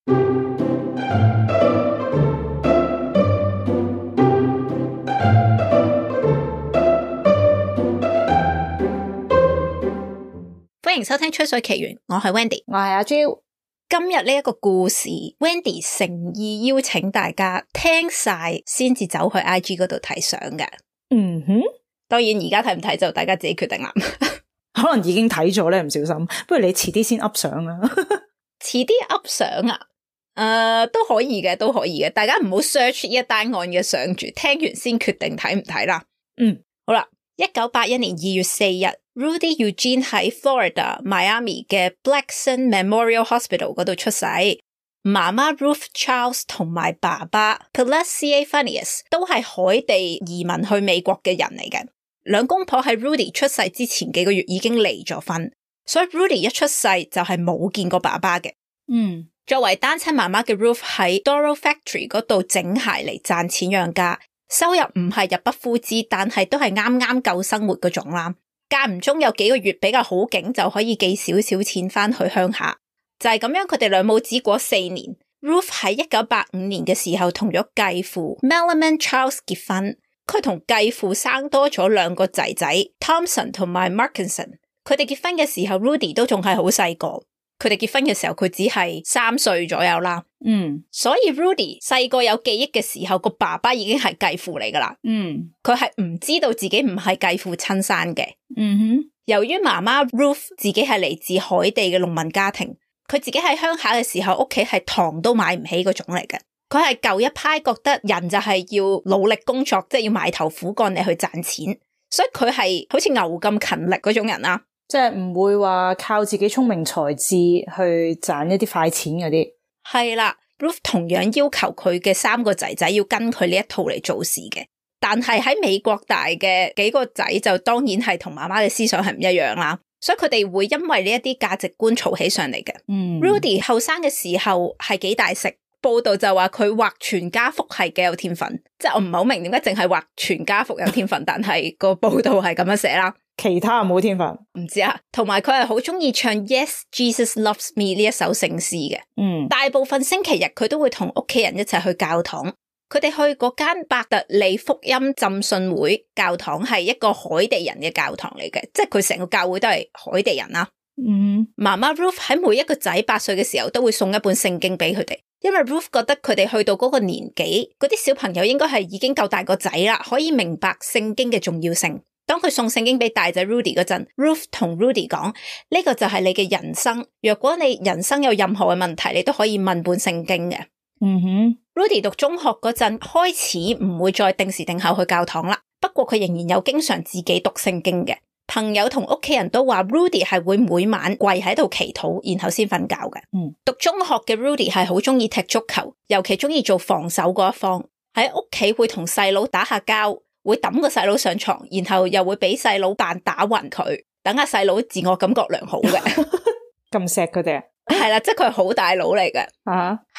歡迎收聽《吹水奇緣》，我係 Wendy， 我係阿 Jo。今日呢一個故事 ，Wendy 誠意邀請大家聽晒先至走去 IG 嗰度睇相嘅。嗯哼，當然而家睇唔睇就大家自己決定啦。可能已經睇咗咧，唔小心。不如你遲啲先 up 相啦。遲啲 up 相啊？都可以嘅，都可以嘅。大家唔好 search 一單案嘅相住，聽完先決定睇唔睇啦。好啦，1981年2月4日。Rudy Eugene 喺 Florida Miami 嘅 Blackson Memorial Hospital 嗰度出世，媽媽 Ruth Charles 同埋爸爸 Pulaski Phineas 都係海地移民去美國嘅人嚟嘅。兩公婆喺 Rudy 出世之前幾個月已經離咗婚，所以 Rudy 一出世就係冇見過爸爸嘅。作為單親媽媽嘅 Ruth 喺 Doro Factory 嗰度整鞋嚟賺錢養家，收入唔係入不敷支，但係都係啱啱夠生活嗰種啦。間唔中有幾個月比較好景就可以寄少少錢翻去鄉下，就係咁樣佢哋兩母子過4年。Ruth 喺1985年嘅時候同咗繼父 Melman Charles 結婚，佢同繼父生多咗2個仔仔 Thompson 同埋 Markinson。佢哋結婚嘅時候 Rudy 都仲係好細個，佢哋結婚嘅時候佢只係3歲左右啦。所以 Rudy 細個有記憶嘅時候，個爸爸已經係繼父嚟噶啦。佢係唔知道自己唔係繼父親生嘅。由於媽媽 Ruth 自己係嚟自海地嘅農民家庭，佢自己喺鄉下嘅時候，屋企係糖都買唔起嗰種嚟嘅。佢係舊一派，覺得人就係要努力工作，即係要埋頭苦幹嚟去賺錢，所以佢係好似牛咁勤力嗰種人啦。即係唔會話靠自己聰明才智去賺一啲快錢嗰啲。係啦，Ruth 同樣要求佢嘅3個仔仔要跟佢呢一套嚟做事嘅，但係喺美國大嘅幾個仔就當然係同媽媽嘅思想係唔一樣啦，所以佢哋會因為呢一啲價值觀嘈起上嚟嘅。Rudy 後生嘅時候係幾大食，報道就話佢畫全家福係幾有天分，即係我唔係好明點解淨係畫全家福有天分，但係個報道係咁樣寫啦。其他冇天分，唔知啊。同埋佢係好中意唱 Yes Jesus Loves Me 呢一首聖詩嘅。大部分星期日佢都會同屋企人一齊去教堂。佢哋去嗰間伯特利福音浸信會教堂係一個海地人嘅教堂嚟嘅，即係佢成個教會都係海地人啦。媽媽 Ruth 喺每一個仔8歲嘅時候都會送一本聖經俾佢哋，因為 Ruth 覺得佢哋去到嗰個年紀，嗰啲小朋友應該係已經夠大個仔啦，可以明白聖經嘅重要性。當佢送聖經俾大仔 Rudy 嗰陣 ，Ruth 同 Rudy 講，呢個就係你嘅人生，若果你人生有任何嘅問題，你都可以問本聖經嘅。Rudy 讀中學嗰陣開始唔會再定時定候去教堂啦，不過佢仍然有經常自己讀聖經嘅。朋友同屋企人都話 Rudy 係會每晚跪喺度祈禱，然後先瞓覺嘅。讀中學嘅 Rudy 係好中意踢足球，尤其中意做防守嗰一方，喺屋企會同細佬打下交，會抌個細佬上床，然後又會俾細佬扮打暈佢，等下細佬自我感覺良好嘅。咁錫佢哋啊？係啦，即係佢係好大佬嚟嘅。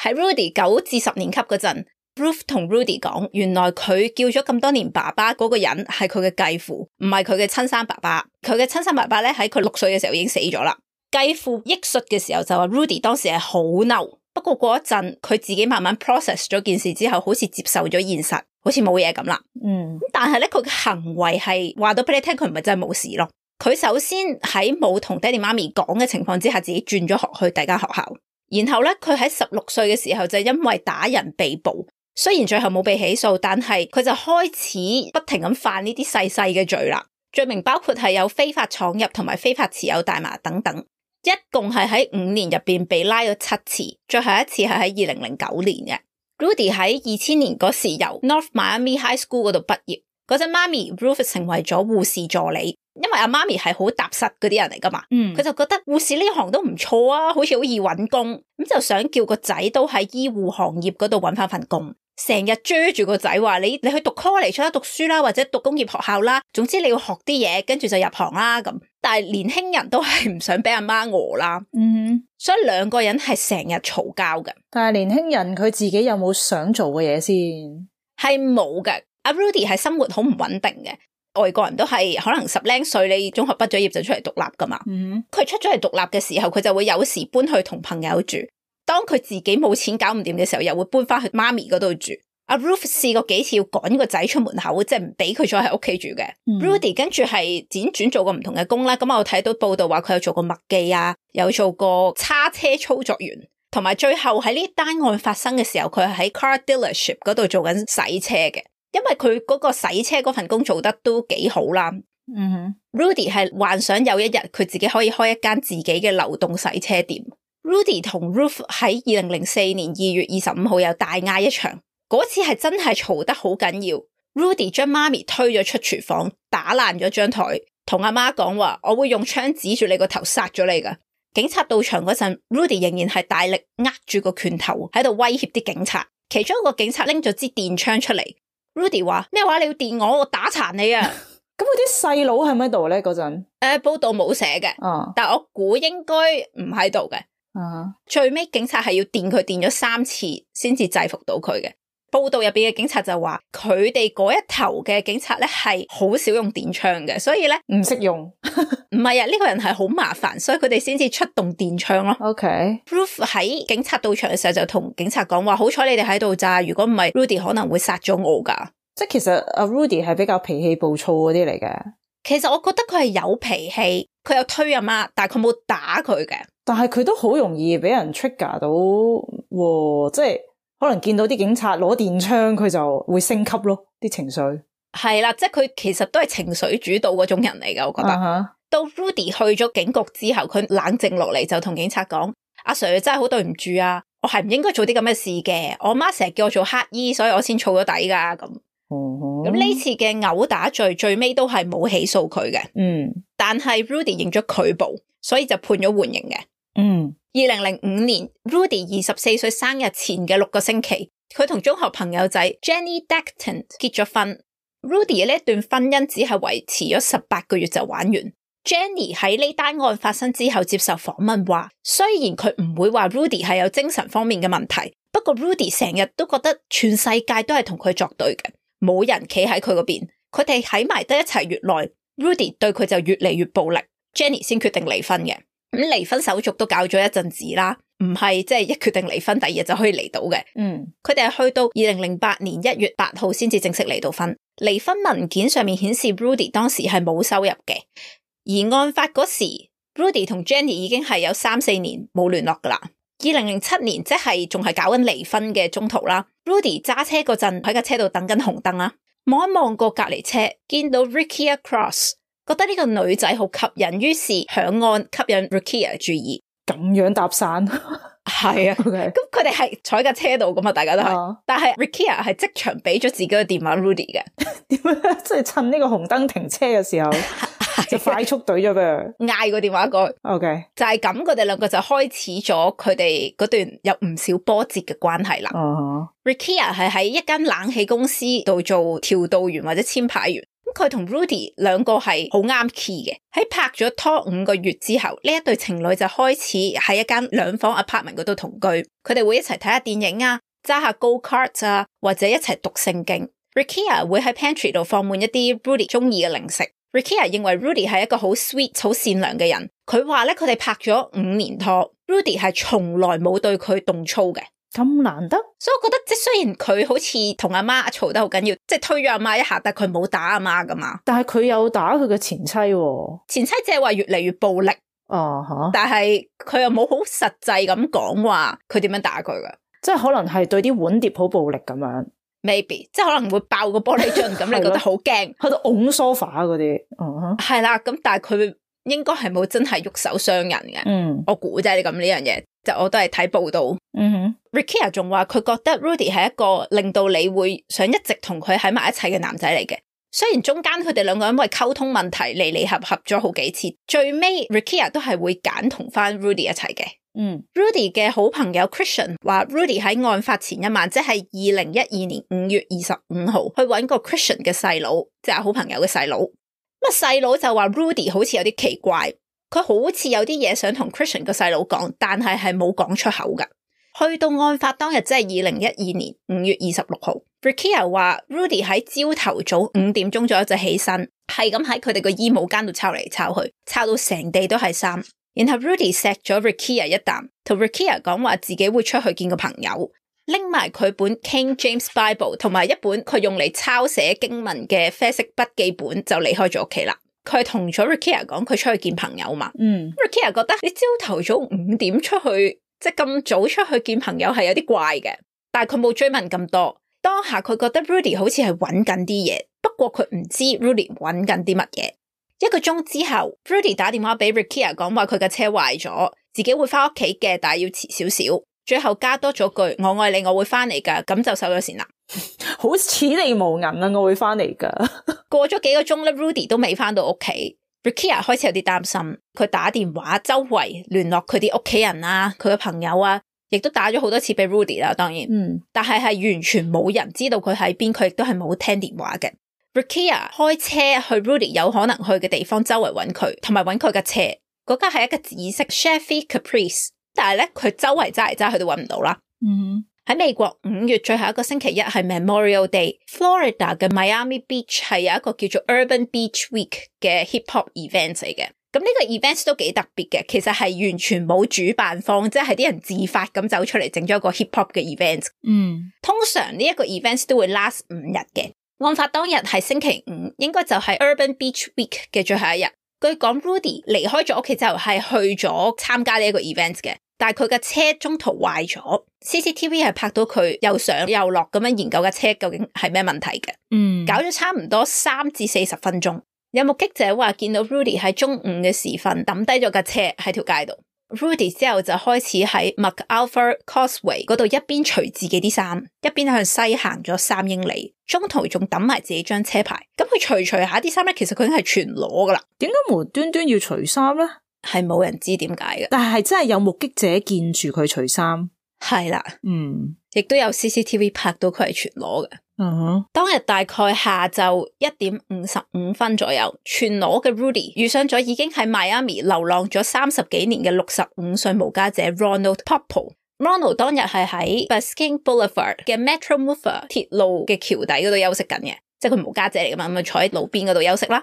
喺 Rudy 9至10年級嗰陣 ，Ruth 同 Rudy 講，原來佢叫咗咁多年爸爸嗰個人係佢嘅繼父，唔係佢嘅親生爸爸。佢嘅親生爸爸咧喺佢6歲嘅時候已經死咗啦。繼父憶述嘅時候就話 Rudy 當時係好嬲，不過過一陣佢自己慢慢 process 咗件事之後，好似接受咗現實，好似冇嘢咁啦。但係咧佢嘅行為係話到俾你聽，佢唔係真係冇事咯。佢首先喺冇同爹哋媽咪講嘅情況之下，自己轉咗學去第間學校。然後咧，佢喺16歲嘅時候就因為打人被捕，雖然最後冇被起訴，但係佢就開始不停咁犯呢啲細細嘅罪啦。罪名包括係有非法闖入同埋非法持有大麻等等，一共係喺5年入邊被拉咗7次，最後一次係喺2009年嘅。Rudy 喺2000年嗰時由 North Miami High School 嗰度畢業，嗰陣媽咪 Ruth 成為咗護士助理。因為阿媽咪係好踏實嗰啲人嚟噶嘛，佢就覺得護士呢行都唔錯啊，好似好易搵工，咁就想叫個仔都喺醫護行業嗰度搵翻份工，成日追住個仔話你去讀 college 出得讀書啦，或者讀工業學校啦，總之你要學啲嘢，跟住就入行啦咁。但係年輕人都係唔想俾阿媽餓啦，所以兩個人係成日嘈交嘅。但係年輕人佢自己有冇想做嘅嘢先？係冇嘅。阿 Rudy 係生活好唔穩定嘅。外國人都係可能10零歲，你中學畢咗業就出嚟獨立噶嘛。佢出咗嚟獨立嘅時候，佢就會有時搬去同朋友住。當佢自己冇錢搞唔掂嘅時候，又會搬翻去媽咪嗰度住。阿 Ruth 試過幾次要趕個仔出門口，即係唔俾佢再喺屋企住嘅。Rudy 跟住係輾轉做過唔同嘅工啦，咁我睇到報道話佢有做過麥記啊，有做過叉車操作員，同埋最後喺呢單案發生嘅時候，佢係喺 car dealership 嗰度做緊洗車嘅，因為佢嗰個洗車嗰份工做得都幾好啦。Rudy 係幻想有一日佢自己可以開一間自己嘅流動洗車店。Rudy 同 Ruth 喺2004年2月25號有大嗌一場。嗰次係真係嘈得好緊要 ，Rudy 將媽咪推咗出廚房，打爛咗張台，同阿媽講話：我會用槍指住你個頭殺咗你噶。警察到場嗰陣 ，Rudy 仍然係大力握住個拳頭喺度威脅啲警察。其中一個警察拎咗支電槍出嚟 ，Rudy 話：咩話？你要電我打殘你啊！咁佢啲細佬喺咪度咧？嗰陣報道冇寫嘅，但我估應該唔喺度嘅。最尾警察係要電佢電咗3次先至制服到佢嘅。報道入邊嘅警察就話，佢哋嗰一頭嘅警察咧係好少用電槍嘅，所以咧唔識用。唔係啊，呢個人係好麻煩，所以佢哋先至出動電槍咯。Ruth 喺警察到場嘅時候就同警察講話，好彩你哋喺度咋，如果唔係 Rudy 可能會殺咗我噶。即係其實阿 Rudy 係比較脾氣暴躁嗰啲嚟嘅。其實我覺得佢係有脾氣，佢有推阿媽，但係佢冇打佢嘅。但係佢都好容易俾人 trigger 到，即係。可能見到啲警察攞電槍，佢就會升級咯，啲情緒。係啦，即係佢其實都係情緒主導嗰種人嚟嘅，我覺得。到 Rudy 去咗警局之後，佢冷靜落嚟就同警察講：阿 Sir 真係好對唔住啊，我係唔應該做啲咁嘅事嘅。我媽成日叫我做乞衣，所以我先儲咗底噶。咁呢次嘅毆打罪最尾都係冇起訴佢嘅。但係 Rudy 認咗拒捕，所以就判咗緩刑嘅。2005年 Rudy 24歲生日前嘅6個星期，佢同中學朋友仔 Jenny Dacton 結咗婚。Rudy 呢一段婚姻只係維持咗18個月就玩完。Jenny 喺呢單案發生之後接受訪問話，雖然佢唔會話 Rudy 係有精神方面嘅問題，不過 Rudy 成日都覺得全世界都係同佢作對嘅，冇人企喺佢嗰邊。佢哋喺埋得一齊越耐 ，Rudy 對佢就越嚟越暴力。Jenny 先決定離婚嘅。咁離婚手續都搞咗一陣子啦，唔係即係一決定離婚，第二日就可以離到嘅。佢哋係去到2008年1月8號先至正式離到婚。離婚文件上面顯示 Rudy 當時係冇收入嘅，而案發嗰時 Rudy 同 Jenny 已經係有3-4年冇聯絡噶啦。2007年即係仲係搞緊離婚嘅中途啦。Rudy 揸車嗰陣喺架車度等緊紅燈啦，望一望過隔離車，見到 Rekia Cross。覺得呢個女仔好吸引，於是響案吸引 Rekia 注意，咁樣搭訕。係啊，咁佢哋係坐喺架車度噶嘛，大家都係。但係 Rekia 係即場俾咗自己嘅電話 Rudy 嘅。點樣？即係趁呢個紅燈停車嘅時候，就快速懟咗俾佢，嗌個電話過去。OK，就係咁，佢哋兩個就開始咗佢哋嗰段有唔少波折嘅關係啦。Rekia 係喺一間冷氣公司度做調度員或者簽牌員。佢同 Rudy 兩個係好啱 key 嘅，喺拍咗拖5個月之後，呢一對情侶就開始喺一間2房 apartment 嗰度同居。佢哋會一齊睇下電影啊，揸下 go kart 啊，或者一齊讀聖經。Rekia 會喺 pantry 度放滿一啲 Rudy 中意嘅零食。Rekia 認為 Rudy 係一個好 sweet、好善良嘅人。佢話咧，佢哋拍咗5年拖 ，Rudy 係從來冇對佢動粗嘅。咁難得，所以我覺得即係雖然佢好似同阿媽嘈得好緊要，即係推咗阿媽一下，但係佢冇打阿媽噶嘛。但係佢有打佢嘅前妻喎。前妻即係話越嚟越暴力。但係佢又冇好實際咁講話佢點樣打佢噶，即係可能係對啲碗碟好暴力咁樣。Maybe 即係可能會爆個玻璃樽咁，你覺得好驚，喺度拱 sofa 嗰啲。係啦，咁但係佢應該係冇真係喐手傷人嘅。我估啫，你咁呢樣嘢。就我都係睇報道。Rekia 仲話佢覺得 Rudy 係一個令到你會想一直同佢喺埋一齊嘅男仔嚟嘅。雖然中間佢哋兩個因為溝通問題離離合合咗好幾次，最尾 Rekia 都係會揀同翻 Rudy 一齊嘅。Rudy 嘅好朋友 Christian 話 Rudy 喺案發前一晚，即係2012年5月25號去搵個 Christian 嘅細佬，即係好朋友嘅細佬。咁細佬就話 Rudy 好似有啲奇怪。佢好似有啲嘢想同 Christian 個細佬講，但係冇講出口噶。去到案發當日，即係2012年5月26號 Rekia 話 Rudy 喺朝頭早5點鐘左右就起身，係咁喺佢哋個衣帽間度抄嚟抄去，抄到成地都係衫。然後 Rudy 錫咗 Rukia 一啖，同 Rukia 講話自己會出去見個朋友，拎埋佢本 King James Bible 同埋一本佢用嚟抄寫經文嘅啡色筆記本就離開咗屋企啦。佢同咗 Rukia 講佢出去見朋友嘛。Rukia 覺得你朝頭早5點出去，即係咁早出去見朋友係有啲怪嘅，但係佢冇追問咁多。當下佢覺得 Rudy 好似係揾緊啲嘢，不過佢唔知 Rudy 揾緊啲乜嘢。1個鐘之後 Rudy 打電話俾 Rukia 講話佢嘅車壞咗，自己會翻屋企嘅，但係要遲少少。最後加多咗句我愛你，我會翻嚟噶，咁就收咗線啦。好似你無銀啊，我會翻嚟噶。過咗幾個鐘咧 Rudy 都未翻到屋企。Rukia 開始有啲擔心，佢打電話周圍聯絡佢啲屋企人啊，佢嘅朋友啊，亦都打咗好多次俾 Rudy 啦，當然，但係完全冇人知道佢喺邊，佢亦都係冇聽電話嘅。Rukia 開車去 Rudy 有可能去嘅地方，周圍揾佢，同埋揾佢嘅車。嗰架係一個紫色 Chevy Caprice， 但係咧佢周圍揸嚟揸去都揾唔到啦。喺美國5月最後一個星期一係 Memorial Day，Florida 嘅 Miami Beach 係有一個叫做 Urban Beach Week 嘅 Hip Hop event 嚟嘅。咁呢個 event 都幾特別嘅，其實係完全冇主辦方，即係啲人自發咁走出嚟整咗一個 hip hop 嘅 event。通常呢一個 event 都會 last 5日嘅。案發當日係星期5，應該就係 Urban Beach Week 嘅最後一日。據講 Rudy 離開咗屋企之後係去咗參加呢一個 event 嘅，但係佢嘅車中途壞咗。CCTV 係拍到佢又上又落咁樣研究嘅車究竟係咩問題嘅。搞咗差唔多3至40分鐘。有目擊者話見到 Rudy 喺中午嘅時分抌低咗架車喺條街度。Rudy 之後就開始喺 MacArthur Causeway 嗰度一邊除自己啲衫，一邊向西行咗3英里，中途仲抌埋自己張車牌。咁佢除下啲衫咧，其實佢已經係全裸噶啦。點解無端端要除衫咧？係冇人知點解嘅，但係真係有目擊者見住佢除衫。係啦，亦都有 CCTV 拍到佢係全裸嘅。當日大概下晝1點55分左右，全裸嘅 Rudy 遇上咗已經喺 Miami 流浪咗30幾年嘅65歲無家者 Ronald Popple。Ronald 當日係喺 Biscayne Boulevard 嘅 Metromova 鐵路嘅橋底嗰度休息緊嘅，即係佢無家者嚟噶嘛，咁坐喺路邊嗰度休息啦。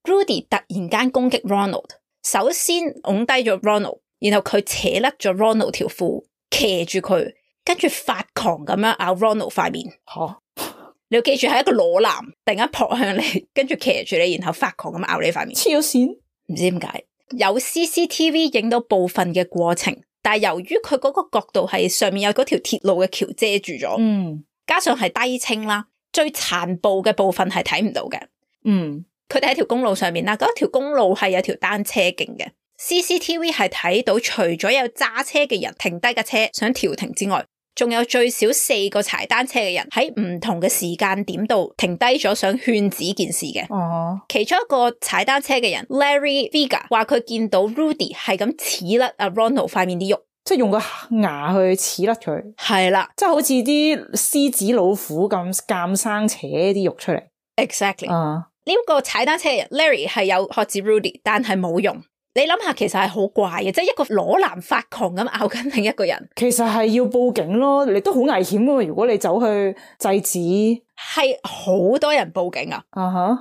Rudy 突然間攻擊 Ronald， 首先拱低咗 Ronald， 然後佢扯甩咗 Ronald 條褲，騎住佢，跟住發狂咁樣咬 Ronald 塊面。你要記住係一個裸男，突然間撲向你，跟住騎住你，然後發狂咁咬你塊面。黐咗線，唔知點解。有 CCTV 影到部分嘅過程，但係由於佢嗰個角度係上面有嗰條鐵路嘅橋遮住咗，加上係低清啦，最殘暴嘅部分係睇唔到嘅。佢哋喺條公路上面啦，嗰條公路係有條單車徑嘅。CCTV 係睇到除咗有揸車嘅人停低架車想調停之外，仲有最少4個踩單車嘅人喺唔同嘅時間點度停低咗想勸止件事嘅。其中一個踩單車嘅人 Larry Vega 話佢見到 Rudy 係咁刺甩阿 Ronald 塊面啲肉，即係用個牙去刺甩佢。係啦，即係好似啲獅子老虎咁監生扯啲肉出嚟。Exactly。呢個踩單車嘅人 Larry 係有喝止 Rudy， 但係冇用。你諗下，其實係好怪嘅，即係一個裸男發狂咁咬緊另一個人，其實係要報警咯，你都好危險噶嘛。如果你走去制止，係好多人報警啊，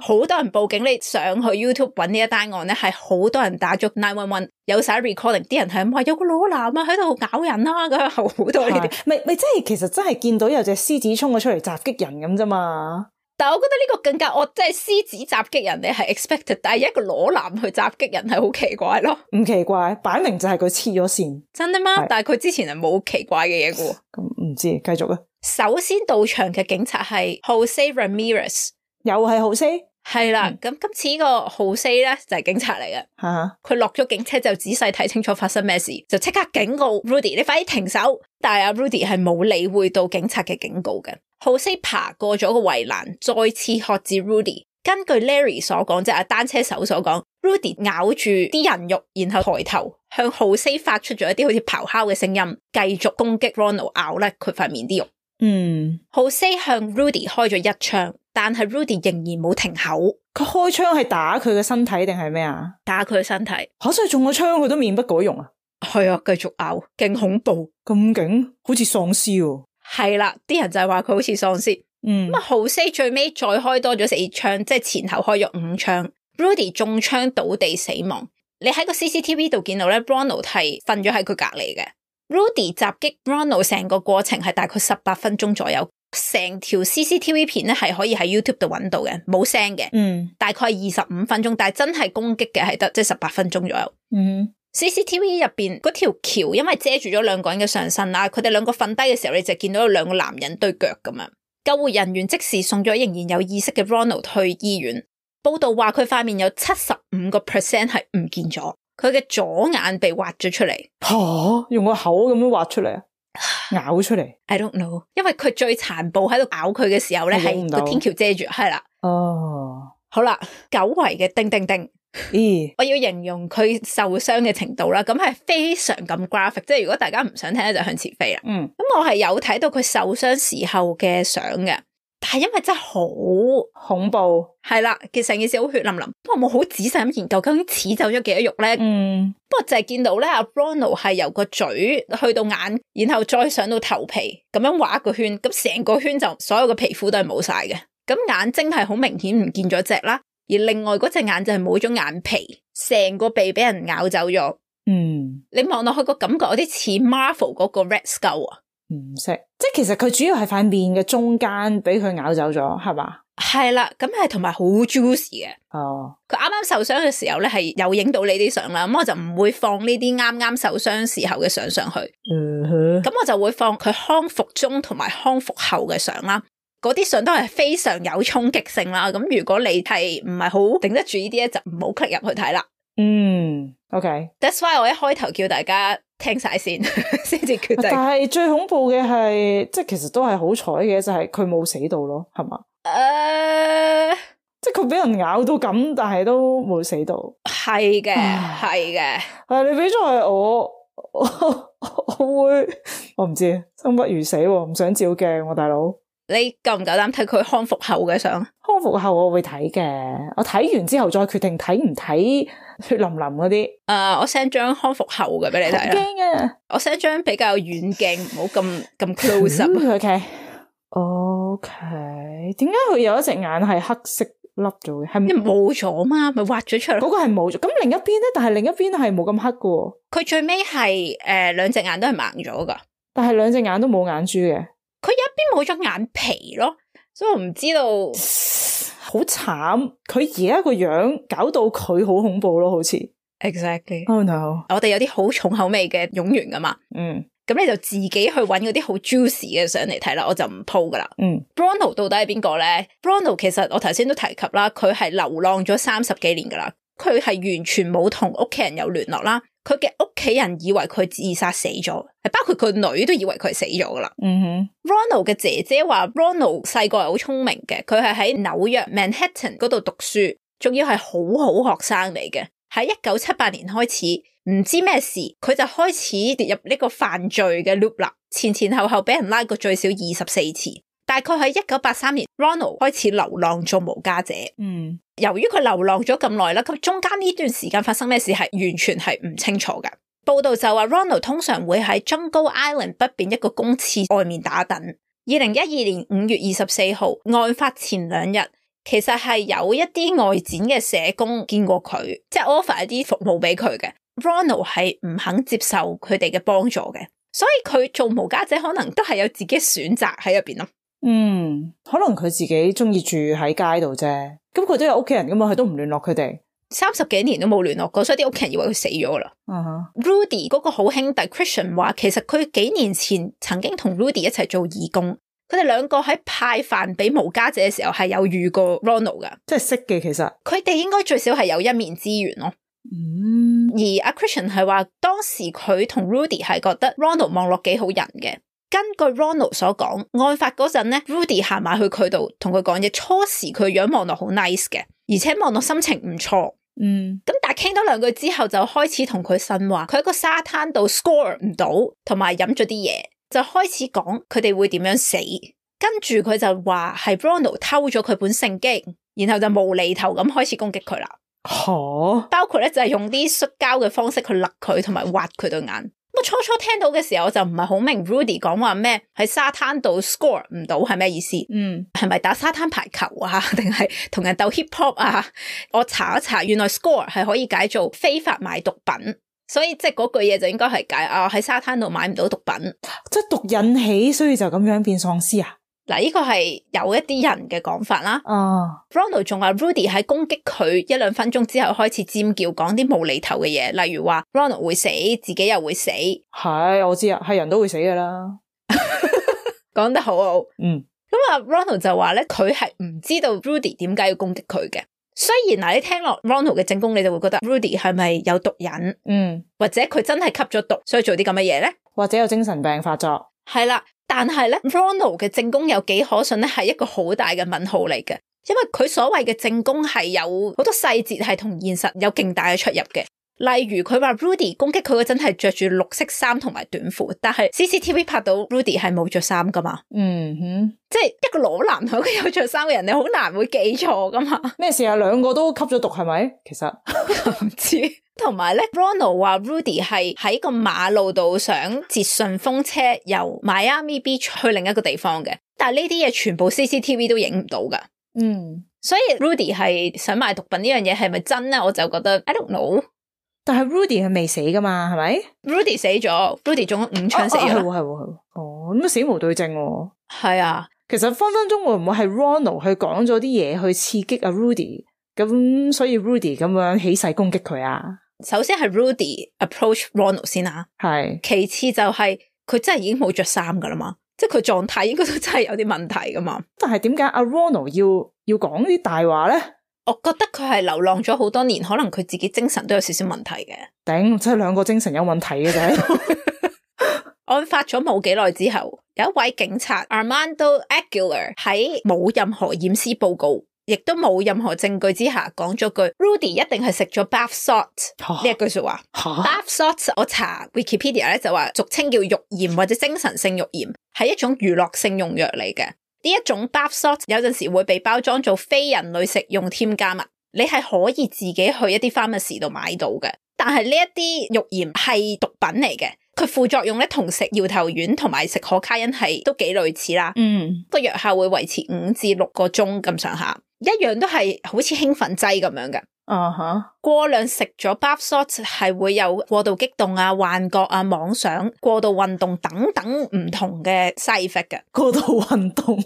好多人報警。你上去 YouTube 揾呢一單案咧，係好多人打咗911，有晒 recording， 啲人係咁話有個裸男啊喺度搞人啊，咁好多呢啲。咪即係其實真係見到有隻獅子衝咗出嚟襲擊人咁啫嘛。但係我覺得呢個更加惡，即係獅子襲擊人你係 expected， 但係一個裸男去襲擊人係好奇怪咯。唔奇怪，擺明就係佢黐咗線。真的嗎？但係佢之前係冇奇怪嘅嘢嘅。咁唔知，繼續啊。首先到場嘅警察係 Jose Ramirez， 又係 Jose。係啦，咁今次呢個 Jose 咧就係警察嚟嘅。佢落咗警車就仔細睇清楚發生咩事，就即刻警告 Rudy， 你快啲停手。但係阿 Rudy 係冇理會到警察嘅警告嘅。Jose 爬過咗個圍欄，再次喝止 Rudy。根據 Larry 所講，即係單車手所講 ，Rudy 咬住啲人肉，然後抬頭向 Jose 發出咗一啲好似咆哮嘅聲音，繼續攻擊 Ronald， 咬甩佢塊面啲肉。Jose 向 Rudy 開咗1槍，但係 Rudy 仍然冇停口。佢開槍係打佢嘅身體定係咩啊？打佢嘅身體。所以中咗槍佢都面不改容啊？係啊，繼續咬，勁恐怖，咁勁，好似喪屍喎。係啦，啲人就係話佢好似喪屍。咁啊，Jose 最尾再開多咗4槍，即係前後開咗5槍。Rudy 中槍倒地死亡。你喺個 CCTV 度見到咧 Ronald 係瞓咗喺佢隔籬嘅。Rudy 襲擊 Ronald 成個過程係大概18分鐘左右，成條 CCTV 片咧係可以喺 YouTube 度揾到嘅，冇聲嘅，大概25分鐘，但係真係攻擊嘅係得即係18分鐘左右。CCTV 入邊嗰條橋因為遮住咗兩個人嘅上身啦，佢哋兩個瞓低嘅時候，你就見到有兩個男人對腳咁樣。救護人員即時送咗仍然有意識嘅 Ronald 去醫院。報道話佢塊面有75% 係唔見咗，佢嘅左眼被挖咗出嚟。用個口咁樣挖出嚟啊？咬出嚟 ？I don't know， 因為佢最殘暴喺度咬佢嘅時候咧，係個天橋遮住，係啦。好啦，久違嘅叮叮叮。我要形容佢受傷嘅程度啦，咁係非常咁 graphic， 即係如果大家唔想聽咧，就向前飛啦。咁我係有睇到佢受傷時候嘅相嘅，但係因為真係好恐怖，係啦，其實成件事好血淋淋，不過我冇好仔細咁研究究竟刺走咗幾多肉咧。不過就係見到咧，阿 Ronald 係由個嘴去到眼，然後再上到頭皮，咁樣畫一個圈，咁成個圈就所有嘅皮膚都係冇晒嘅，咁眼睛係好明顯唔見咗隻啦。而另外嗰隻眼就係冇咗眼皮，成個鼻俾人咬走咗。你望落去個感覺有啲似 Marvel 嗰個 Red Skull 啊？唔識，即係其實佢主要係塊面嘅中間俾佢咬走咗，係嘛？係啦，咁係同埋好 juicy 嘅。佢啱啱受傷嘅時候咧，係有影到呢啲相啦，咁我就唔會放呢啲啱啱受傷時候嘅相上去。咁我就會放佢康復中同埋康復後嘅相啦。嗰啲相都係非常有衝擊性啦，咁如果你係唔係好頂得住呢啲咧，就唔好 click 入去睇啦。OK。That's why 我一開頭叫大家聽晒先，先至決定。但係最恐怖嘅係，即係其實都係好彩嘅，就係佢冇死到咯，係嘛？即係佢俾人咬到咁，但係都冇死到。係嘅，係嘅。你俾咗係我會，我唔知，生不如死，唔想照鏡喎，大佬。你夠唔夠膽睇佢康復後嘅相？康復後我會睇嘅，我睇完之後再決定睇唔睇血淋淋嗰啲。我 send 張康復後嘅俾你睇啦。驚啊！我 send 張比較遠鏡，唔好咁 close up。OK， 點解佢有一隻眼係黑色粒咗嘅？係冇咗嘛？咪挖咗出嚟。嗰個係冇咗。咁另一邊咧？但係另一邊係冇咁黑嘅。佢最尾係兩隻眼都係盲咗噶。但係兩隻眼都冇眼珠嘅。佢有一邊冇咗眼皮咯，所以我唔知道。好慘，佢而家個樣搞到佢好恐怖咯，好似。Exactly。Oh no！ 我哋有啲好重口味嘅冗員噶嘛。咁你就自己去揾嗰啲好 juicy 嘅相嚟睇啦，我就唔 po 噶啦。Ronald 到底係邊個咧 ？Ronald 其實我頭先都提及啦，佢係流浪咗30幾年噶啦，佢係完全冇同屋企人有聯絡啦。佢嘅屋企人以為佢自殺死咗，係包括佢女都以為佢死咗噶啦。Ronald 嘅姐姐話 Ronald 細個係好聰明嘅，佢係喺紐約 Manhattan 嗰度讀書，仲要係好好學生嚟嘅。喺1978年開始，唔知咩事，佢就開始跌入呢個犯罪嘅 loop 啦。前後俾人拉過最少24次。大概喺1983年 ，Ronald 開始流浪做無家者。由於佢流浪咗咁耐啦，咁中間呢段時間發生咩事係完全係唔清楚嘅。報道就話 Ronald 通常會喺 Jungle Island 北邊一個公廁外面打躉。2012年5月24號，案發前2日，其實係有一啲外展嘅社工見過佢，即係 offer 一啲服務俾佢嘅。Ronald 係唔肯接受佢哋嘅幫助嘅，所以佢做無家者可能都係有自己選擇喺入邊咯。可能佢自己中意住喺街度啫，咁佢都有屋企人噶嘛，佢都唔聯絡佢哋，30幾年都冇聯絡過，所以啲屋企人以為佢死咗啦。Rudy 嗰個好兄弟 Christian 話，其實佢幾年前曾經同 Rudy 一齊做義工，佢哋兩個喺派飯俾無家者嘅時候係有遇過 Ronald 噶，即係識嘅。其實佢哋應該最少係有一面之緣咯。而阿 Christian 係話，當時佢同 Rudy 係覺得 Ronald 望落幾好人嘅。根據 Ronald 所講，案發嗰陣咧 ，Rudy 行埋去佢度同佢講嘢。初時佢樣望落好 nice 嘅，而且望落心情唔錯。咁但係傾多兩句之後，就開始同佢呻話，佢喺個沙灘度 score 唔到，同埋飲咗啲嘢，就開始講佢哋會點樣死。跟住佢就話係 Ronald 偷咗佢本聖經，然後就無厘頭咁開始攻擊佢啦。包括咧就係用啲摔跤嘅方式去勒佢，同埋挖佢對眼。我初初聽到嘅時候，我就唔係好明 Rudy 講話咩喺沙灘度 score 唔到係咩意思？係咪打沙灘排球啊？定係同人鬥 hip hop 啊？我查一查，原來 score 係可以解做非法買毒品，所以即係嗰句嘢就應該係解喺沙灘度買唔到毒品，即係毒引起，所以就咁樣變喪屍啊？嗱，呢個係有一啲人嘅講法啦。Ronald 仲話 Rudy 喺攻擊佢1-2分鐘之後開始尖叫，講啲無厘頭嘅嘢，例如話 Ronald 會死，自己又會死。係，我知啊，係人都會死噶啦。講得好好。咁啊 Ronald 就話咧，佢係唔知道 Rudy 點解要攻擊佢嘅。雖然嗱，你聽落 Ronald 嘅證供，你就會覺得 Rudy 係咪有毒癮？或者佢真係吸咗毒，所以做啲咁嘅嘢咧？或者有精神病發作？係啦。但係咧 Ronald 嘅證供有幾可信咧，係一個好大嘅問號嚟嘅，因為佢所謂嘅證供係有好多細節係同現實有勁大嘅出入嘅。例如佢話 Rudy 攻擊佢嗰陣係着住綠色衫同埋短褲，但係 CCTV 拍到 Rudy 係冇着衫噶嘛。即係一個裸男同一個有着衫嘅人，你好難會記錯噶嘛。咩事啊？兩個都吸咗毒係咪？其實唔知。同埋咧 Ronald 話 Rudy 係喺個馬路度想截順風車由 Miami Beach 去另一個地方嘅，但係呢啲嘢全部 CCTV 都影唔到噶。所以 Rudy 係想賣毒品呢樣嘢係咪真咧？我就覺得 I don't know。但係 Rudy 係未死噶嘛？係咪 ？Rudy 死咗 ，Rudy 中咗5槍死咗。係咁死無對證。係啊，其實分分鐘會唔會係 Ronald 去講咗啲嘢去刺激阿 Rudy， 咁所以 Rudy 咁樣起勢攻擊佢啊？首先係 Rudy approach Ronald 先啊，係。其次就係佢真係已經冇着衫噶啦嘛，即係佢狀態應該都真係有啲問題噶嘛。但係點解阿 Ronald 要講啲大話咧？我覺得佢係流浪咗好多年，可能佢自己精神都有少少問題嘅。頂，真係兩個精神有問題嘅啫。案發咗冇幾耐之後，有一位警察 Armando Aguilar 喺冇任何驗屍報告，亦都冇任何證據之下講咗句 Rudy 一定係食咗 bath salt 呢一句說話。bath salt 我查 Wikipedia 咧就話俗稱叫肉鹽或者精神性肉鹽，係一種娛樂性用藥嚟嘅。呢一種 bath salt 有陣時會被包裝做非人類食用添加物，你係可以自己去一啲 pharmacy 度買到嘅。但係呢一啲肉鹽係毒品嚟嘅，佢副作用咧同食搖頭丸同埋食可卡因係都幾類似啦。個藥效會維持5至6個鐘咁上下，一樣都係好似興奮劑咁樣嘅。過量食咗 bath salt 係會有過度激動啊、幻覺啊、妄想、過度運動等等唔同嘅 side effect 嘅。過度運動，呢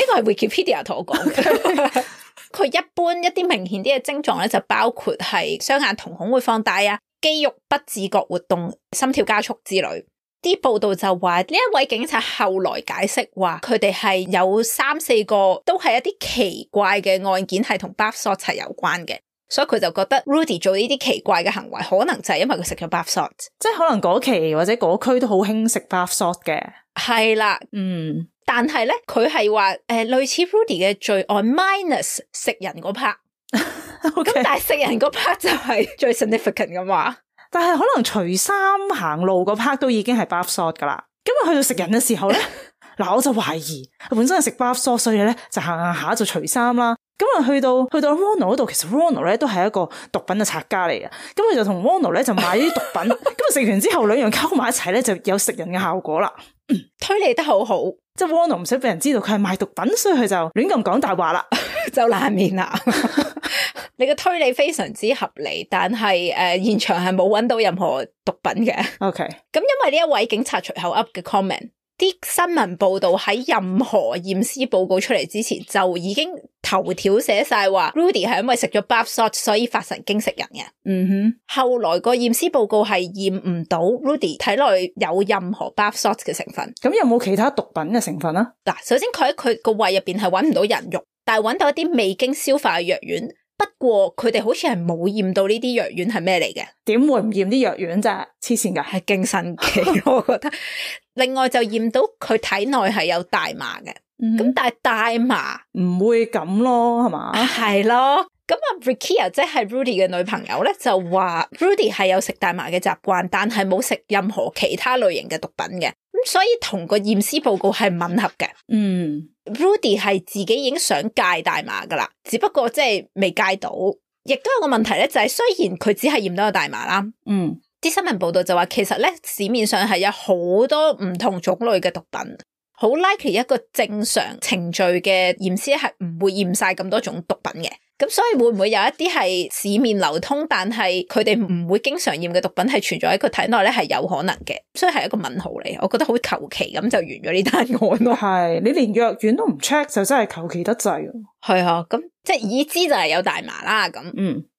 個係 Wikipedia 同我講嘅。佢一般一啲明顯啲嘅症狀咧，就包括係雙眼瞳孔會放大啊、肌肉不自覺活動、心跳加速之類。啲報道就話呢一位警察後來解釋話，佢哋係有3-4個都係一啲奇怪嘅案件係同 bath salt 係有關嘅，所以佢就覺得 Rudy 做呢啲奇怪嘅行為，可能就係因為佢食咗 bath salt，即係可能嗰期或者嗰區都好興食 bath salt 嘅。係啦，但係咧佢係話類似 Rudy 嘅罪案 minus 食人嗰 part， 咁但係食人嗰 part 就係最 significant 嘅嘛。但係可能除衫行路嗰 part 都已經係 bath salt 噶啦，咁啊去到食人嘅時候咧，嗱我就懷疑本身係食 bath salt，所以咧就行下就除衫啦。咁啊去到 Ronald 嗰度，其實 Ronald 咧都係一個毒品嘅拆家嚟嘅，咁佢就同 Ronald 咧就買啲毒品，咁啊食完之後兩樣溝埋一齊咧就有食人嘅效果啦。推理得好好，即係 Ronald 唔使俾人知道佢係賣毒品，所以佢就亂咁講大話啦，就爛面啦。你嘅推理非常之合理，但係現場係冇揾到任何毒品嘅。OK，咁因為呢一位警察隨口噏嘅 comment， 啲新聞報道喺任何驗屍報告出嚟之前就已經頭條寫晒話 Rudy 係因為食咗 bath salt 所以發神經食人嘅。後來個驗屍報告係驗唔到 Rudy 體內有任何 bath salt 嘅成分。咁有冇其他毒品嘅成分啊？嗱，首先佢喺佢個胃入邊係揾唔到人肉，但係揾到一啲未經消化嘅藥丸。不過佢哋好似係冇驗到呢啲藥丸係咩嚟嘅？點會唔驗啲藥丸啫？黐線噶，係勁神奇我覺得。另外就驗到佢體內係有大麻嘅，咁但係大麻唔會咁咯，係嘛？係咯。咁啊 Rikia 即係 Rudy 嘅女朋友咧，就話 Rudy 係有食大麻嘅習慣，但係冇食任何其他類型嘅毒品嘅，咁所以同個驗屍報告係吻合嘅。Rudy 係自己已經想戒大麻噶啦，只不過即係未戒到。亦都有個問題咧，就係雖然佢只係驗到有大麻啦，啲新聞報道就話，其實咧市面上係有好多唔同種類嘅毒品，好 likely 一個正常程序嘅驗屍係唔會驗晒咁多種毒品嘅。咁所以會唔會有一啲係市面流通，但係佢哋唔會經常驗嘅毒品係存在喺佢體內咧，係有可能嘅。所以係一個問號嚟，我覺得好求其咁就完咗呢單案咯。係，你連藥丸都唔 check 就真係求其得滯。係啊，咁即係已知就係有大麻啦。咁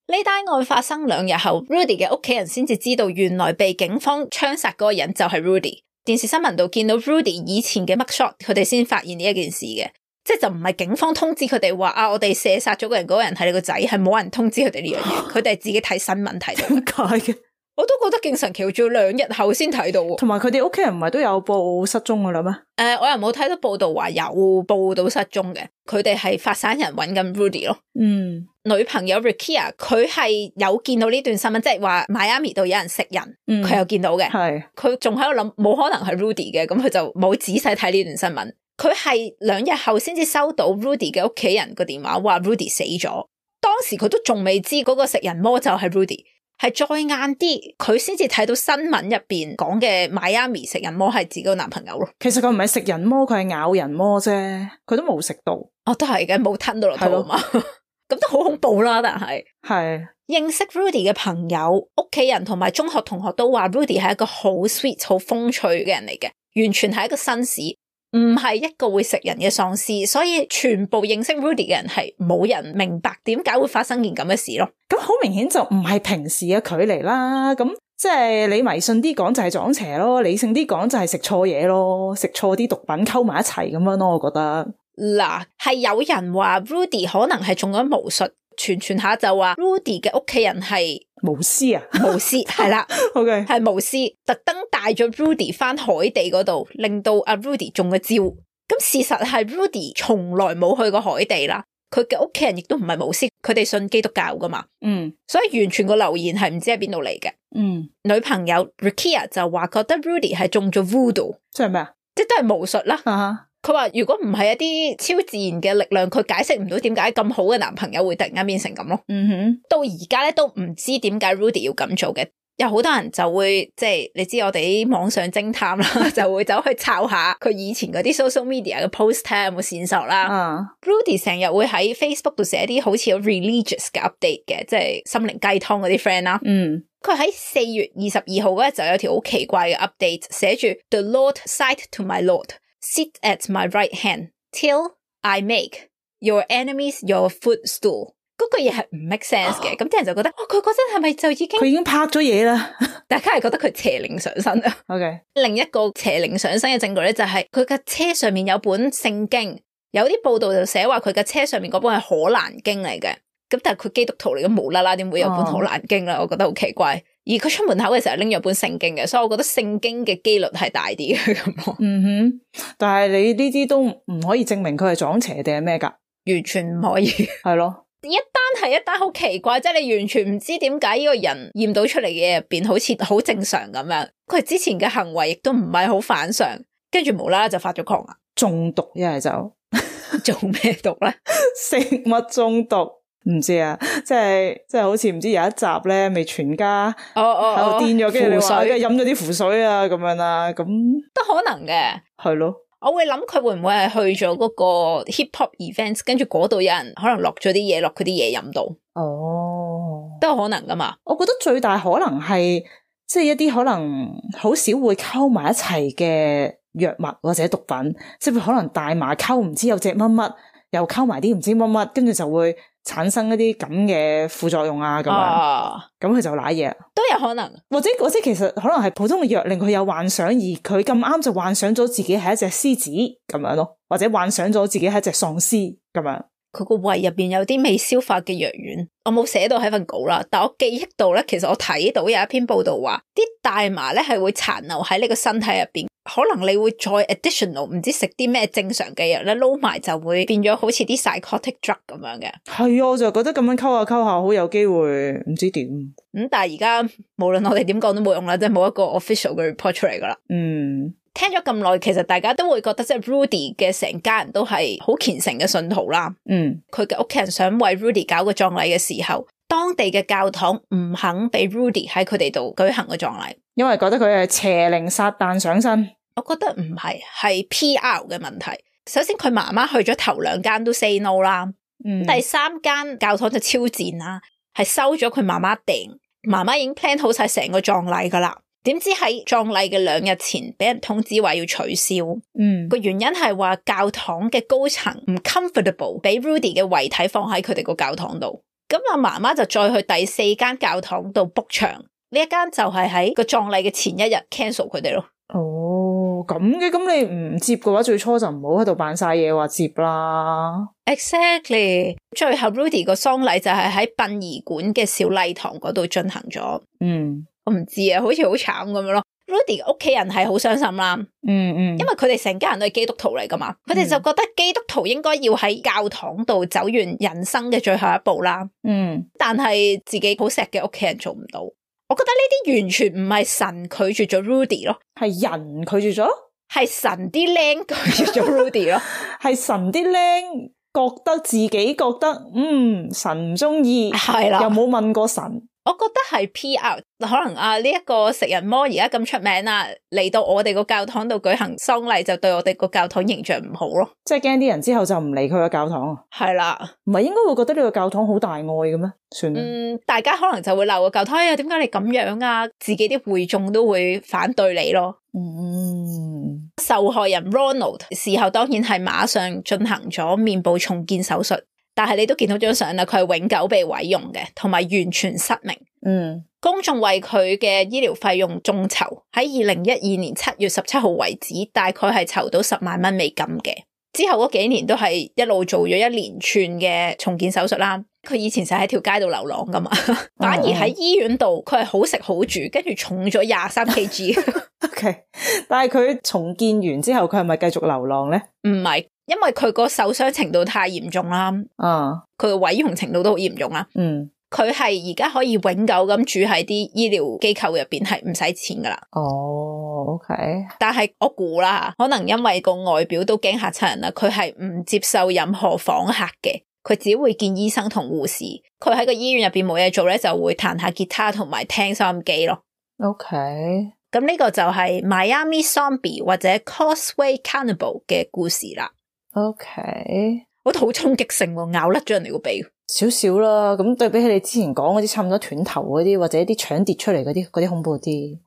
呢單案發生2日後 Rudy 嘅屋企人先至知道，原來被警方槍殺嗰個人就係 Rudy。電視新聞度見到 Rudy 以前嘅 mugshot， 佢哋先發現呢一件事嘅。即係就唔係警方通知佢哋話啊，我哋射殺咗個人，嗰個人係你個仔，係冇人通知佢哋呢樣嘢，佢哋係自己睇新聞睇到。點解嘅？我都覺得勁神奇，仲要2日後先睇到。同埋佢哋屋企人唔係都有報失蹤噶啦咩？我又冇睇到報道話有報到失蹤嘅，佢哋係發散人揾緊 Rudy 咯。女朋友 Rikia 佢係有見到呢段新聞，即係話 Miami 度有人食人，佢有見到嘅。係佢仲喺度諗，冇可能係 Rudy 嘅，咁佢就冇仔細睇呢段新聞。佢係2日後先至收到 Rudy 嘅屋企人個電話，話 Rudy 死咗。當時佢都仲未知嗰個食人魔就係 Rudy， 係再晏啲佢先至睇到新聞入邊講嘅 Miami 食人魔係自己個男朋友咯。其實佢唔係食人魔，佢係咬人魔啫，佢都冇食到。哦，都係嘅，冇吞到落肚啊嘛。咁都好恐怖啦，但係認識 Rudy 嘅朋友、屋企人同埋中學同學都話 Rudy 係一個好 sweet、好風趣嘅人嚟嘅，完全係一個紳士。唔係一個會食人嘅喪屍，所以全部認識 Rudy 嘅人係冇人明白點解會發生件咁嘅事咯。咁好明顯就唔係平時嘅距離啦。咁即係你迷信啲講就係撞邪咯，理性啲講就係食錯嘢咯，食錯啲毒品溝埋一齊咁樣咯。我覺得嗱，係有人話 Rudy 可能係中咗巫術，傳下就話 Rudy 嘅屋企人係巫師啊，巫師係啦，OK 係巫師，特登帶咗 Rudy 翻海地嗰度，令到阿 Rudy 中咗招。咁事實係 Rudy 從來冇去過海地啦，佢嘅屋企人亦都唔係巫師，佢哋信基督教噶嘛。所以完全個留言係唔知喺邊度嚟嘅。女朋友 Rikia 就話覺得 Rudy 係中咗 Voodoo， 即係咩啊？即係都係巫術啦。佢話如果唔係一啲超自然嘅力量，佢解釋唔到點解咁好嘅男朋友會突然間變成咁咯。到而家咧都唔知點解 Rudy 要咁做嘅。有好多人就會即係你知我哋啲網上偵探啦，就會走去抄下佢以前嗰啲 social media 嘅 post 睇下有冇線索啦。Rudy 成日會喺 Facebook 度寫啲好似有 religious 嘅 update 嘅，即係心靈雞湯嗰啲 friend 啦。佢喺4月22號嗰日就有條好奇怪嘅 update， 寫住 The Lord said to my Lord，Sit at my right hand till I make your enemies your footstool。嗰句嘢係唔 make sense 嘅，咁啲人就覺得，佢嗰陣係咪就已經？佢已經拍咗嘢啦。大家係覺得佢邪靈上身啊。OK， 另一個邪靈上身嘅證據咧，就係佢嘅車上面有本聖經，有啲報道就寫話佢嘅車上面嗰本係可蘭經嚟嘅。咁但係佢基督徒嚟嘅，無啦啦點會有本可蘭經啦？我覺得好奇怪。而佢出門口嘅時候拎咗本聖經嘅，所以我覺得聖經嘅機率係大啲嘅咁。但係你呢啲都唔可以證明佢係撞邪定係咩噶？完全唔可以。係咯。一單係一單好奇怪，即係你完全唔知點解呢個人驗到出嚟嘅嘢入邊好似好正常咁樣，佢之前嘅行為亦都唔係好反常，跟住無啦啦就發咗狂啊！中毒一係就做咩毒咧？食物中毒唔知啊，即係好似唔知有一集咧，未全家喺度癲咗，跟住你話跟住飲咗啲符水啊咁樣啦，咁都可能嘅，係咯。我會諗佢會唔會係去咗嗰個 hip hop events， 跟住嗰度有人可能落咗啲嘢落佢啲嘢飲到，都有可能噶嘛。我覺得最大可能係即係一啲可能好少會溝埋一齊嘅藥物或者毒品，即係可能大麻溝唔知有隻乜乜，又溝埋啲唔知乜乜，跟住就會產生一啲咁嘅副作用啊咁樣，咁佢就瀨嘢，都有可能，或者其實可能係普通嘅藥令佢有幻想，而佢咁啱就幻想咗自己係一隻獅子咁樣咯，或者幻想咗自己係一隻喪屍咁樣。佢個胃入邊有啲未消化嘅藥丸，我冇寫到喺份稿啦，但我記憶到咧，其實我睇到有一篇報道話，啲大麻咧係會殘留喺你個身體入邊，可能你會再 additional 唔知食啲咩正常嘅藥咧，撈埋就會變咗好似啲 psychotic drug 咁樣嘅。係啊，我就覺得咁樣溝下溝下好有機會唔知點。但係而家無論我哋點講都冇用啦，即係冇一個 official 嘅 report 出嚟噶啦。聽咗咁耐，其實大家都會覺得即係 Rudy 嘅成家人都係好虔誠嘅信徒啦。佢嘅屋企人想為 Rudy 搞個葬禮嘅時候，當地嘅教堂唔肯俾 Rudy 喺佢哋度舉行個葬禮，因為覺得佢係邪靈撒旦上身。我覺得唔係，係 PR 嘅問題。首先佢媽媽去咗頭2間都 say no 啦，第3間教堂就超賤啦，係收咗佢媽媽訂，媽媽已經 plan 好晒成個葬禮噶啦。點知喺葬禮嘅2日前俾人通知話要取消，個原因係話教堂嘅高層唔 comfortable 俾 Rudy 嘅遺體放喺佢哋個教堂度，咁阿媽媽就再去第4間教堂度 book 場，呢一間就係喺個葬禮嘅前一日 cancel 佢哋咯。哦，咁嘅，咁你唔接嘅話，最初就唔好喺度扮晒嘢話接啦。Exactly， 最後 Rudy 個喪禮就係喺殯儀館嘅小禮堂嗰度進行咗。我唔知啊，好似好慘咁樣咯。Rudy 屋企人係好傷心啦，因為佢哋成家人都係基督徒嚟噶嘛，佢哋就覺得基督徒應該要喺教堂度走完人生嘅最後一步啦。但係自己好錫嘅屋企人做唔到。我覺得呢啲完全唔係神拒絕咗 Rudy 咯，係人拒絕咗，係神啲僆拒絕咗 Rudy 咯，係神啲僆覺得自己覺得神唔中意，係啦，又冇問過神。我覺得係 PR， 可能呢一個食人魔而家咁出名啦，嚟到我哋個教堂度舉行喪禮，就對我哋個教堂形象唔好咯。即係驚啲人之後就唔嚟佢個教堂啊？係啦，唔係應該會覺得呢個教堂好大愛嘅咩？算啦，大家可能就會鬧個教堂，點解你咁樣啊？自己啲會眾都會反對你咯。受害人 Ronald 事後當然係馬上進行咗面部重建手術。但係你都見到張相啦，佢係永久被毀容嘅，同埋完全失明。公眾為佢嘅醫療費用眾籌，喺2012年7月17號為止，大概係籌到10萬蚊美金嘅。之後嗰幾年都係一路做咗一連串嘅重建手術啦。佢以前就喺條街度流浪噶嘛，反而喺醫院度佢係好食好住，跟住重咗23 kg。OK， 但係佢重建完之後，佢係咪繼續流浪咧？唔係。因為佢個受傷程度太嚴重啦，佢個毀容程度都好嚴重啦，佢係而家可以永久咁住喺啲醫療機構入邊，係唔使錢噶啦。OK， 但係我估啦，可能因為個外表都驚嚇親人啦，佢係唔接受任何訪客嘅，佢只會見醫生同護士。佢喺個醫院入邊冇嘢做咧，就會彈下吉他同埋聽收音機咯。OK， 咁呢個就係 Miami Zombie 或者 Causeway Cannibal 嘅故事啦。OK， 我覺得好衝擊性喎，咬甩咗人哋個鼻，少少啦。咁對比起你之前講嗰啲差唔多斷頭嗰啲，或者啲腸跌出嚟嗰啲恐怖啲。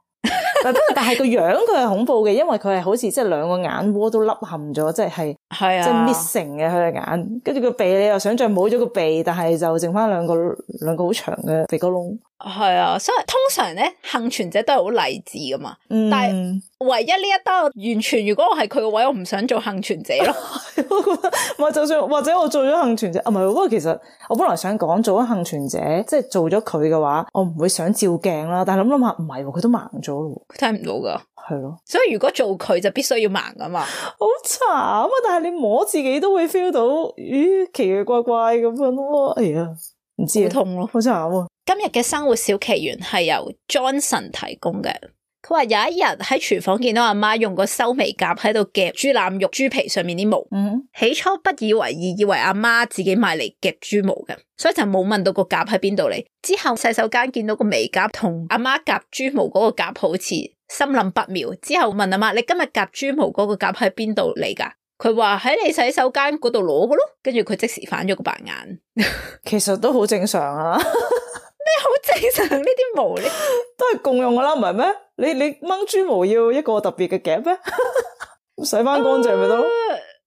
但係個樣佢係恐怖嘅，因為佢係好似即係2個眼窩都凹陷咗，即係即係 missing 嘅佢嘅眼，跟住個鼻你又想象冇咗個鼻，但係就剩翻兩個好長嘅鼻哥窿。係啊，所以通常咧幸存者都係好勵志噶嘛，但係唯一呢一單完全，如果我係佢個位，我唔想做幸存者咯。我覺得唔係，就算或者我做咗幸存者，唔係，不過其實我本來想講做咗幸存者，即係做咗佢嘅話，我唔會想照鏡啦。但係諗下，唔係，佢都盲咗咯，佢睇唔到噶。係咯，所以如果做佢就必須要盲噶嘛。好慘啊！但係你摸自己都會 feel 到，咦，奇奇怪怪咁樣咯。哎呀，唔知好痛咯，好慘啊！今日嘅生活小奇懸係由 Johnson 提供嘅。佢話有一日喺廚房見到阿媽用個修眉夾喺度夾豬腩肉豬皮上面啲毛，起初不以為意，以為阿媽自己買嚟夾豬毛嘅，所以就冇問到個夾喺邊度嚟。之後洗手間見到個眉夾同阿媽夾豬毛嗰個夾好似，心諗不妙。之後問阿媽：你今日夾豬毛嗰個夾喺邊度嚟噶？佢話喺你洗手間嗰度攞嘅咯。跟住佢即時反咗個白眼。其實都好正常啊。咩好正常？呢啲毛呢都係共用噶啦，唔係咩？你掹豬毛要一個特別嘅夾咩？洗翻乾淨咪得咯。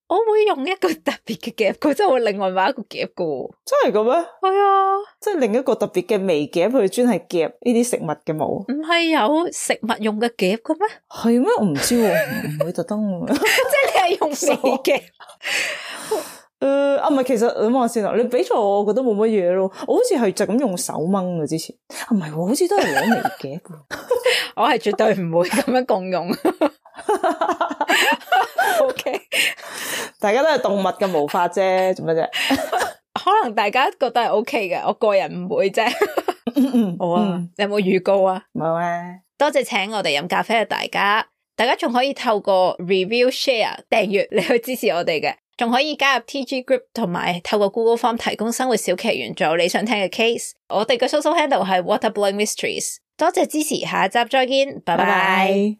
我會用一個特別嘅夾，佢真係會另外買一個夾噶。真係嘅咩？係啊，即係另一個特別嘅微夾，佢專係夾呢啲食物嘅毛。唔係有食物用嘅夾嘅咩？係咩？我唔知喎，唔會特登。即係你係用微夾。唔係，其實諗下先啦。你俾錯我覺得冇乜嘢咯。我好似係就咁用手掹嘅之前。唔係，好似都係攞微夾。我係絕對唔會咁樣共用。OK， 大家都係動物嘅毛髮啫，做乜啫？可能大家覺得係 OK 嘅，我個人唔會啫。好啊，你有冇預告啊？冇啊。多謝請我哋飲咖啡嘅大家仲可以透過 review、share、訂閱嚟去支持我哋嘅。仲可以加入 TG Group 同埋透過 Google Form 提供生活小奇懸做你想聽嘅 case。我哋嘅 social handle 係 Waterblowing Mysteries。多謝支持，下一集再見，拜拜。